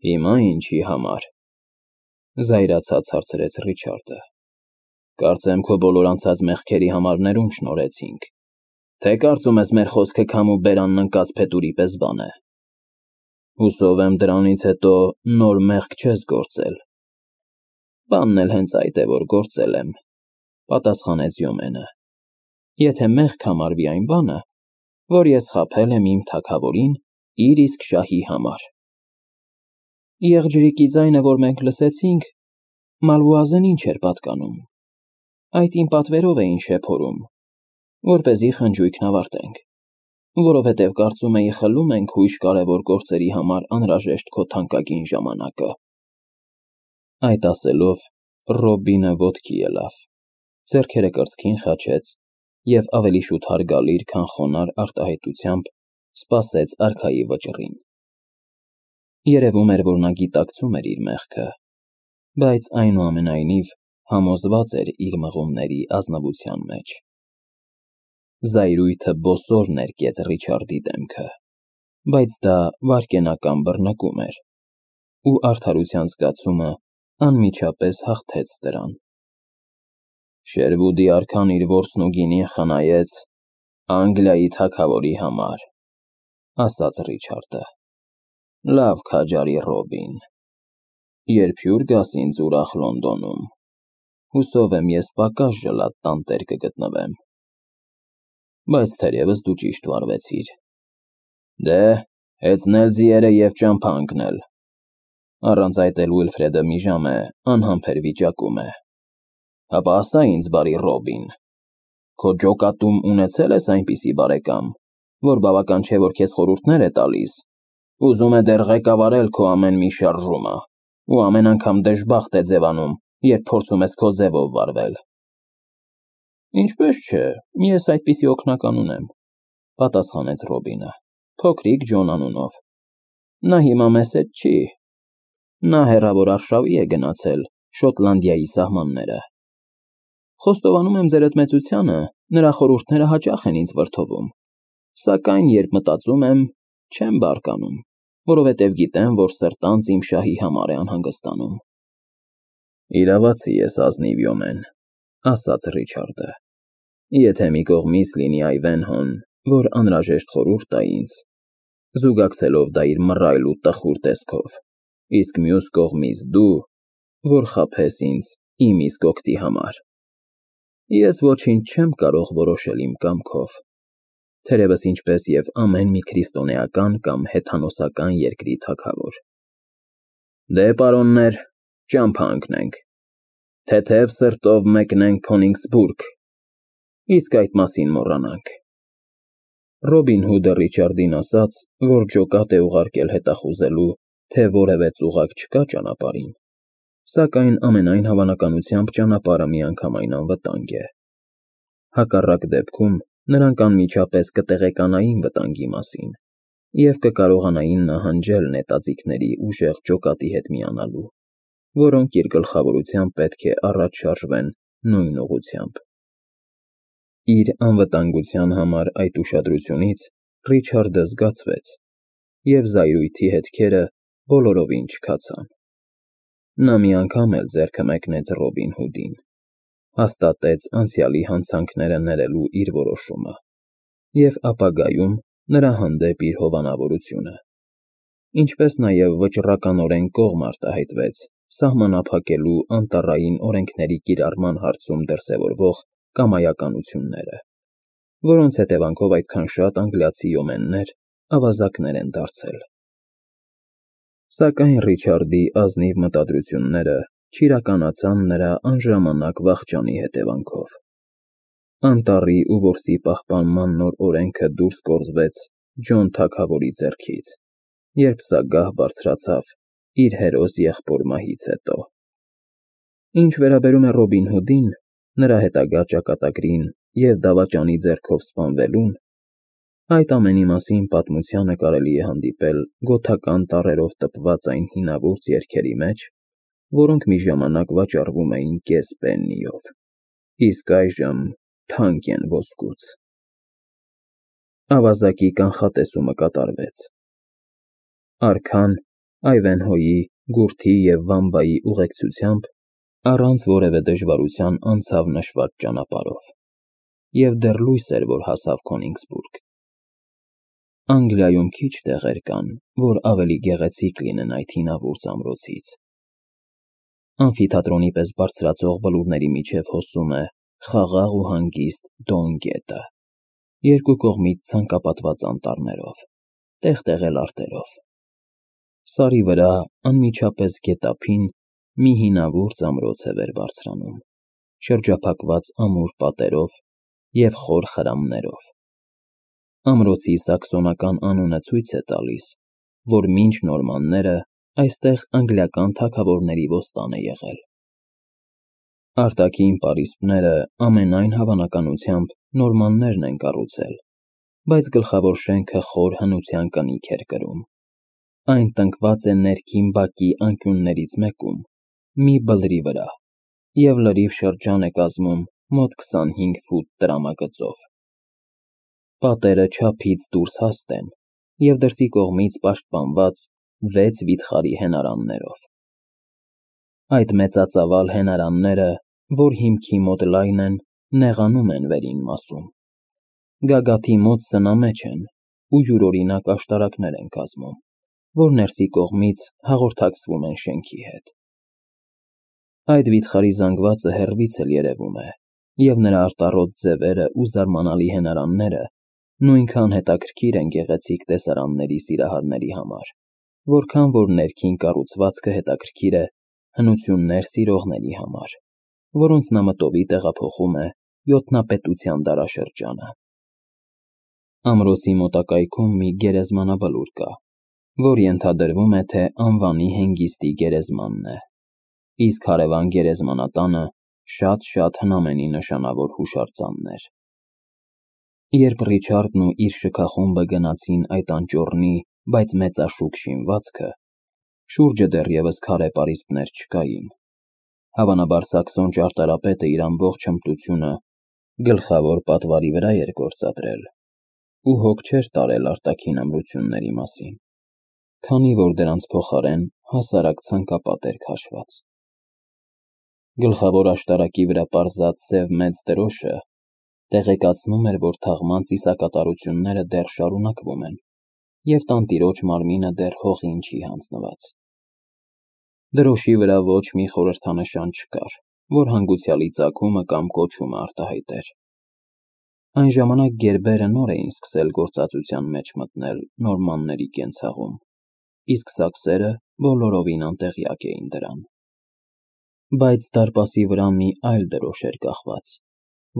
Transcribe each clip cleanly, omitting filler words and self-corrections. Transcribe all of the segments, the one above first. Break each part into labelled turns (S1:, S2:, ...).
S1: Հիմա ինչի համար, զայրացած հարցրեց Ռիչարդը, կարծեմ քո բոլոր անցած մեղքերի համար ներում շնորհեցինք, թե կարծում ես մեր խոսքը քամու բերանն ընկած փետուրի պես բան է, հուսով եմ դրանից հետո նոր մեղք չես գործել։ Բանն էլ հենց այդ է, որ գործել եմ, պատասխանեց Յոմենը, եթե մեղք համարվի այն բանը, որ ես խաբել եմ իմ թագավորին իր իսկ շահի համար։ Եղջյուրիկի ձայնը, որ մենք լսեցինք, Մալվուազենին չէր պատկանում, այդ իմ պատվերով էին շեփորում, որպեսզի խնջույքն ավարտենք, որովհետև կարծում էի խլում ենք հույժ կարևոր գործերի համար անհրաժեշտ քո թանկագին ժամանակը։ Այդ ասելով, Ռոբինը ոտքի ելավ, ձեռքերը կրծքին խաչեց և ավելի շուտ հարգալից, քան խոնարհ արտահայտությամբ սպասեց արքայի վճռին։ Երևում էր, որ նա գիտակցում էր իր մեղքը, բայց այնուամենայնիվ համոզված էր իր մղումների ազնվության մեջ։ Զայրույթը բոսոր ներկեց Ռիչարդի դեմքը, բայց դա վայրկենական բռնկում էր, ու արդարության զգացումը անմիջապես հաղթեց դրան։ Շերվուդի արքան իր որսն ու գինին խնայեց Անգլիայի թագավորի համար, ասաց Ռիչարդը։ Լավ քաջարի, Ռոբին, երբ հյուր գաս ինձ ուրախ Լոնդոնում, հուսով եմ ես պակաս ժլատ տանտեր կգտնվեմ։ Բայց թերևս դու ճիշտ վարվեցիր։ Դե, հեծնել ձիերը և ճամփա ընկնել։ Առանց այդ էլ Ուիլֆրեդը մի ժամ է անհամբեր վիճակում է։ Հապա ասա ինձ, բարի Ռոբին, քո ջոկատում ունեցե՞լ ես այնպիսի բարեկամ, որ բավական չէ, որ քեզ խորհուրդներ է տալիս, ուզում է դեռ ղեկավարել քո ամեն մի շարժումը, ու ամեն անգամ դժբախտ է ձևանում, երբ փորձում ես քո ձևով վարվել։ Ինչպես չէ, ես այդպիսի օգնական ունեմ, պատասխանեց Ռոբինը, փոքրիկ Ջոն անունով։ Նա հիմա մեզ հետ չի։ Նա հեռավոր արշավի է գնացել Շոտլանդիայի սահմանները։ Խոստովանում եմ ձեր մեծությանը, նրա խորհուրդները հաճախ են ինձ վրդովում, սակայն երբ մտածում եմ, չեմ բարկանում, որովհետև գիտեմ, որ սրտանց իմ շահի համար է անհանգստանում։ Իրավացի ես ազնիվ Յոմեն, ասաց Ռիչարդը, եթե մի կողմից լինի Այվենհոն, որ անհրաժեշտ խորհուրդ տա ինձ, զուգակցելով դա իր մռայլ ու տխուր տեսքով, իսկ մյուս կողմից դու, որ խաբես ինձ իմ իսկ օգտի համար, ես ոչինչ չեմ կարող որոշել իմ կամքով, թերևս ինչպես և ամեն մի քրիստոնեական կամ հեթանոսական երկրի թագավոր։ Դե, պարոններ, ճամփա ընկնենք, թեթև սրտով մեկնենք Քոնիգսբուրգ, իսկ այդ մասին մոռանանք։ Ռոբին Հուդը Ռիչարդին ասաց, որ ջոկատ է ուղարկել հետախուզելու, թե որևէ ծուղակ չկա ճանապարհին, սակայն ամենայն հավանականությամբ ճանապարհը միանգամայն անվտանգ է։ Հակառակ դեպքում նրանք անմիջապես կտեղեկանային վտանգի մասին և կկարողանային նահանջել նետաձիգների ուժեղ ջոկատի հետ միանալու, որոնք իր գլխավորությամբ պետք է առաջ շարժվեն նույն ուղղությամբ։ Իր անվտանգության համար այդ ուշադրությունից Ռիչարդը զգացվեց, և զայրույթի հետքերը բոլորովին չքացան։ Նա մի անգամ էլ ձեռքը մեկնեց Ռոբին Հուդին, հաստատեց անցյալի հանցանքները ներելու իր որոշումը և ապագայում նրա հանդեպ իր հովանավորությունը, ինչպես նաև վճռականորեն կողմ արտահայտվեց սահմանափակելու անտառային օրենքների կիրառման հարցում դրսևորվող կամայականությունները, որոնց հետևանքով այդքան շատ անգլիացի յոմեններ ավազակներ են դարձել։ Սակայն Ռիչարդի ազնիվ մտադրությունները չիրականացան նրա անժամանակ վախճանի հետևանքով։ Անտառի ու որսի պահպանման նոր օրենքը դուրս գործվեց Ջոն թագավորի ձեռքից, երբ սա գահ բարձրացավ իր հերոս եղբոր մահից հետո։ Ինչ վերաբերում է Ռոբին Հուդին, նրա հետագա ճակատագրին և դավաճանի ձեռքով սպանվելուն, այդ ամենի մասին պատմությանը կարելի է հանդիպել գոթական տառերով տպված այն հինավուրց երգերի մեջ, որոնք մի ժամանակ վաճառվում էին կես պեննիով, իսկ այժմ թանկ են ոսկուց։ Ավազակի կանխատեսումը կատարվեց։ Արքան Այվենհոյի, Գուրթի և Վամբայի ուղեկցությամբ առանց որևէ դժվարության անցավ նշված ճանապարհով, և դեռ լույս էր, որ հասավ Քոնիգսբուրգ։ Անգլիայում քիչ տեղեր կան, որ ավելի գեղեցիկ լինեն այդ հինավուրց ամրոցից։ Ամֆիթատրոնի պես բարձրացող բլուրների միջև հոսում է խաղաղ ու հանգիստ Դոն գետը, երկու կողմից ցանկապատված անտառներով, տեղ-տեղ էլ արտերով։ Սարի վրա անմիջապես գետափին մի հինավուրց ամրոց է վեր բարձրանում, շրջափակված ամուր պատերով և խոր խրամներով։ Ամրոցի սաքսոնական անունը ցույց է տալիս, որ մինչ նորմանները այստեղ անգլիական թագավորների ոստան է եղել։ Արտաքին պարիսպները ամենայն հավանականությամբ նորմաններն են կառուցել, բայց գլխավոր շենքը խոր հնության կնիկ էր կրում։ Այն տնկված է ներքին բակի անկյուններից մեկում, մի բլրի վրա, և լրիվ շրջան է կազմում մոտ 25 ֆուտ տրամագծով։ Պատերը չափից դուրս հաստ են և դրսի կողմից պաշտպանված 6 վիթխարի հենարաններով։ Այդ մեծածավալ հենարանները, որ հիմքի մոտ լայն են, նեղանում են վերին մասում։ Գագաթի մոտ սնամեջ են ու յուրօրինակ աշտարակներ են կազմում, որ ներսի կողմից հաղորդակցվում են շենքի հետ։ Այդ վիթխարի զանգվածը հեռվից էլ երևում է, և նրա արտառոտ ձևերը ու զարմանալի հենարանները նույնքան հետաքրքիր են գեղեցիկ տեսարանների սիրահարների համար, որքան որ ներքին կառուցվածքը հետաքրքիր է հնություններ սիրողների համար, որոնց նամտովի տեղափոխում է յոթնապետության դարաշրջանը։ Ամրոցի մոտակայքում մի գերեզմանաբլուր կա, որ ենթադրվում է, թե անվանի հենգիստի գերեզմանն է, իսկ հարևան գերեզմանատանը շատ հնամենի նշանավոր հուշարձաններ։ Երբ Ռիչարդն ու իր շքախումբը գնացին այդ անճոռնի, բայց մեծաշուք շինվածքը, շուրջը դեռևս քարե պարիսպներ չկային։ Հավանաբար սաքսոն ճարտարապետը իր ամբողջ հմտությունը գլխավոր պատվարի վրա էր գործադրել ու հոգ չէր տարել արտաքին ամրությունների մասին, քանի որ դրանց փոխարեն հասարակ ցանկապատ էր քաշված։ Գլխավոր աշտարակի վրա պարզած սև մեծ դրոշը տեղեկացնում էր, որ թաղման ծիսակատարությունները դեռ շարունակվում են, և տանտիրոջ մարմինը դեռ հողին չի հանձնված։ Դրոշի վրա ոչ մի խորհրդանշան չկար, որ հանգուցյալի ծագումը կամ կոչումը արտահայտեր։ Այն ժամանակ գերբերը նոր էին սկսել գործածության մեջ մտնել նորմանների կենցաղում, իսկ սաքսերը բոլորովին անտեղյակ էին դրան։ Բայց դարպասի վրա մի այլ դրոշ էր կախված,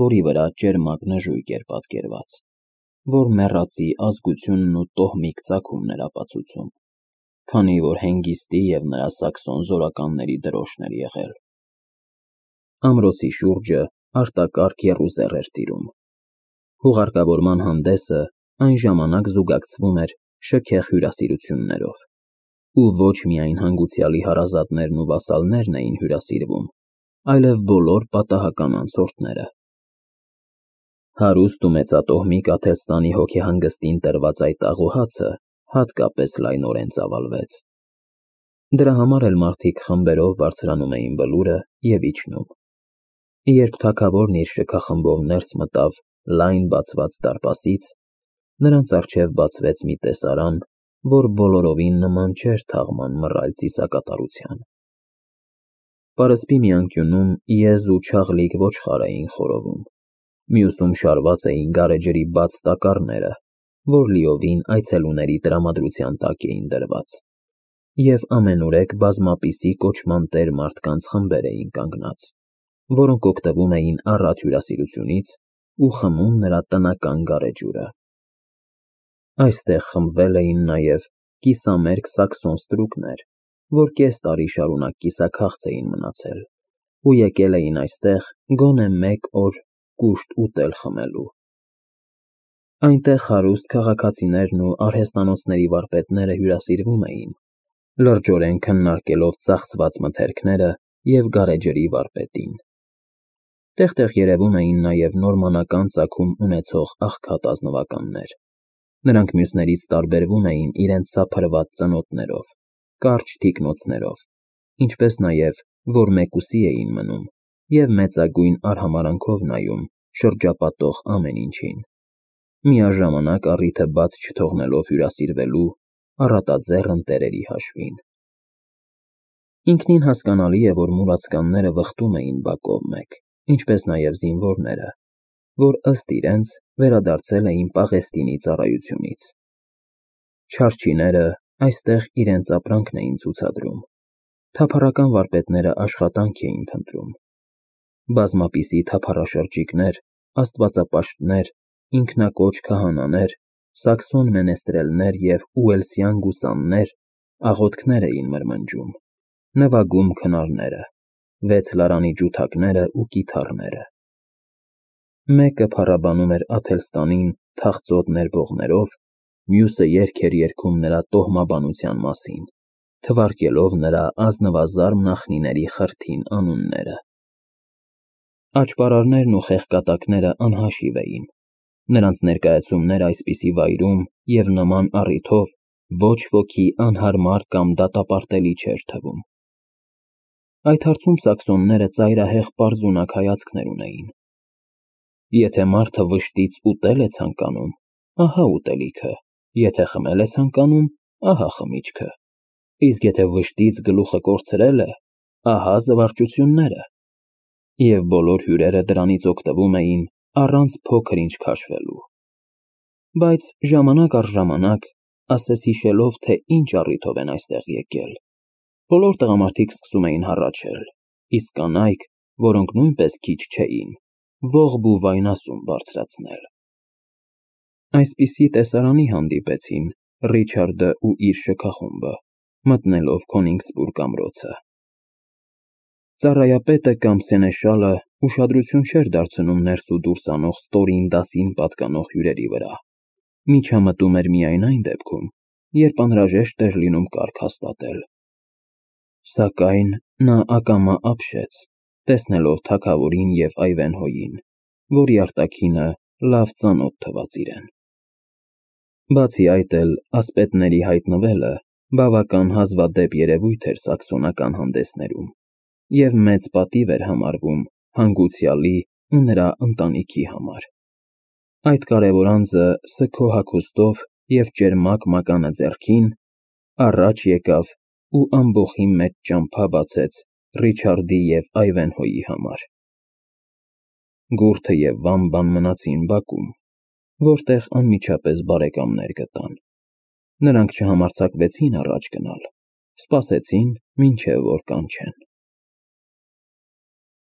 S1: որի վրա ճերմակ նժույգ էր պատկերված, որ մեռածի ազգությունն ու տոհմիկ ծագումն էր ապացուցում, քանի որ հենգիստի և նրա սաքսոն զորականների դրոշն էր եղել։ Ամրոցի շուրջը արտակարգ եռուզեռ էր տիրում։ Հուղարկավորման հանդեսը այն ժամանակ զուգակցվում էր շքեղ հյուրասիրություններով, ու ոչ միայն հանգուցյալի հարազատներն ու վասալներն էին հյուրասիրվում, այլև բոլոր պատահական անցորդները։ Հարուստ ու մեծատոհմիկ Աթելստանի հոգեհանգստին տրված այդ աղոհացը հատկապես լայնորեն ծավալվեց։ Դրա համար էլ մարդիկ խմբերով բարձրանում էին բլուրը և իջնում։ Երբ թագավորն իր շքախմբով ներս մտավ լայն բացված դարպասից, նրանց առջև բացվեց մի տեսարան, որ բոլորովին նման չէր թաղման մռայլ ծիսակատարության։ Պարսպի մի անկյունում եզ ու չաղլիկ ոչխար էին խորովում, մյուսում շարված էին գարեջրի բաց տակառները, որ լիովին այցելուների տրամադրության տակ էին դրված, և ամենուրեք բազմապիսի կոչման տեր մարդկանց խմբեր էին կանգնած, որոնք օգտվում էին առատ հյուրասիրությունից ու խմում նրա տնական գարեջուրը։ Այստեղ խմբվել էին նաև կիսամերկ սաքսոն ստրուկներ, որ կես տարի շարունակ կիսաքաղց էին մնացել ու եկել էին այստեղ գոնե մեկ օր կուշտ ուտել֊խմելու։ Այնտեղ հարուստ քաղաքացիներն ու արհեստանոցների վարպետները հյուրասիրվում էին, լրջորեն քննարկելով ծախսված մթերքները և գարեջրի վարպետին։ Տեղ-տեղ երևում էին նաև նորմանական ծագում ունեցող աղքատ ազնվականներ։ Նրանք մյուսներից տարբերվում էին իրենց սափրված ծնոտներով, կարճ թիկնոցներով, ինչպես նաև, որ մեկուսի էին մնում և մեծագույն արհամարհանքով նայում շրջապատող ամեն ինչին, միաժամանակ առիթը բաց չթողնելով հյուրասիրվելու առատաձեռն տերերի հաշվին։ Ինքնին հասկանալի է, որ մուրացկանները վխտում էին բակով մեկ, ինչպես նաև զինվորները, որ ըստ իրենց վերադարձել էին Պաղեստինի ծառայությունից։ Չարչիները այստեղ իրենց ապրանքն էին ցուցադրում, թափառական վարպետները աշխատանք էին փնտրում։ Բազմապիսի թափառաշրջիկներ, աստվածապաշտներ, ինքնակոչ քահանաներ, սաքսոն մենեստրելներ և ուելսյան գուսաններ աղոթքներ էին մրմնջում, նվագում քնարները, 6 լարանի ջութակները ու կիթառները։ Մեկը փառաբանում էր Աթելստանին թախծոտ ներվողներով, մյուսը երգ էր երգում նրա տոհմաբանության մասին, թվարկելով նրա ազնվազարմ նախնիների խրթին անունները։ Աճպարարներն ու խեղկատակները անհաշիվ էին, նրանց ներկայացումները այսպիսի վայրում և նման առիթով ոչ ոքի անհարմար կամ դատապարտելի չէր թվում։ Այդ հարցում սաքսոնները ծայրահեղ պարզունակ հայացքներ ունեին։ Եթե մարդը վշտից ուտել է ցանկանում, ահա ուտելիքը, եթե խմել է ցանկանում, ահա խմիչքը, իսկ եթե վշտից գլուխը կորցրել է, ահա զվարճությունները, և բոլոր հյուրերը դրանից օգտվում էին առանց փոքր-ինչ քաշվելու։ Բայց ժամանակ առ ժամանակ, ասես հիշելով, թե ինչ առիթով են այստեղ եկել, բոլոր տղամարդիկ սկսում էին հառաչել, իսկ կանայք, որոնք նույնպես քիչ չէին, ողբ ու վայնասուն բարձրացնել։ Այսպիսի տեսարանի հանդիպեցին Ռիչարդը ու իր շքախումբը, մտնելով Քոնիգսբուրգ ամրոցը։ Ծառայապետը կամ սենեշալը ուշադրություն չէր դարձնում ներս ու դուրս անող ստորին դասին պատկանող հյուրերի վրա, միջամտում էր միայն այն դեպքում, երբ անհրաժեշտ էր լինում կարգ հաստատել։ Սակայն նա ակամա ապշեց, տեսնելով թագավորին և Այվենհոյին, որի արտաքինը լավ ծանոթ թվաց իրեն։ Բացի այդ էլ ասպետների հայտնվելը բավական հազվադեպ երևույթ էր սաքսոնական հանդեսներում և մեծ պատիվ էր համարվում հանգուցյալի ու նրա ընտանիքի համար։ Այդ կարևոր անձը սգո հագուստով և ճերմակ մականը ձեռքին առաջ եկավ ու ամբոխի մեջ ճամփա բացեց Ռիչարդի և Այվենհոյի համար։ Գուրթը և Վամբան մնացին բակում, որտեղ անմիջապես բարեկամներ գտան։ Նրանք չհամարձակվեցին առաջ գնալ, սպասեցին, մինչև որ կանչեն։